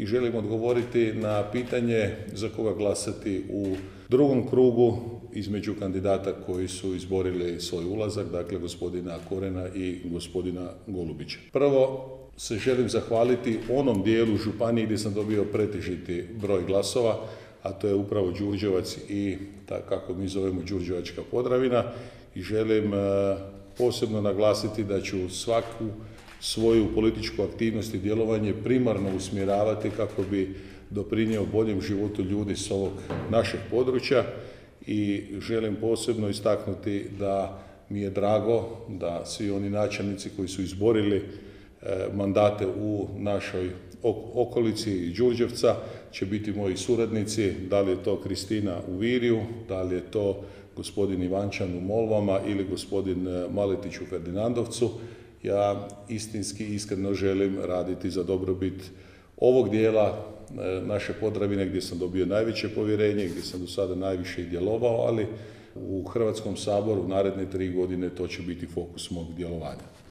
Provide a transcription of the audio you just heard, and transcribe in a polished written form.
i želim odgovoriti na pitanje za koga glasati u drugom krugu između kandidata koji su izborili svoj ulazak, dakle gospodina Korena i gospodina Golubića. Prvo se želim zahvaliti onom dijelu županije gdje sam dobio pretežiti broj glasova, a to je upravo Đurđevac i kako mi zovemo Đurđevačka Podravina, i želim posebno naglasiti da ću svaku svoju političku aktivnost i djelovanje primarno usmjeravati kako bi doprinio boljem životu ljudi s ovog našeg područja, i želim posebno istaknuti da mi je drago da svi oni načelnici koji su izborili mandate u našoj okolici Đurđevca će biti moji suradnici, da li je to Kristina u Virju, da li je to gospodin Ivančan u Molvama ili gospodin Maletić u Ferdinandovcu. Ja istinski iskreno želim raditi za dobrobit ovog dijela naše Podravine gdje sam dobio najveće povjerenje, gdje sam do sada najviše i djelovao, ali u Hrvatskom saboru u naredne 3 godine to će biti fokus mog djelovanja.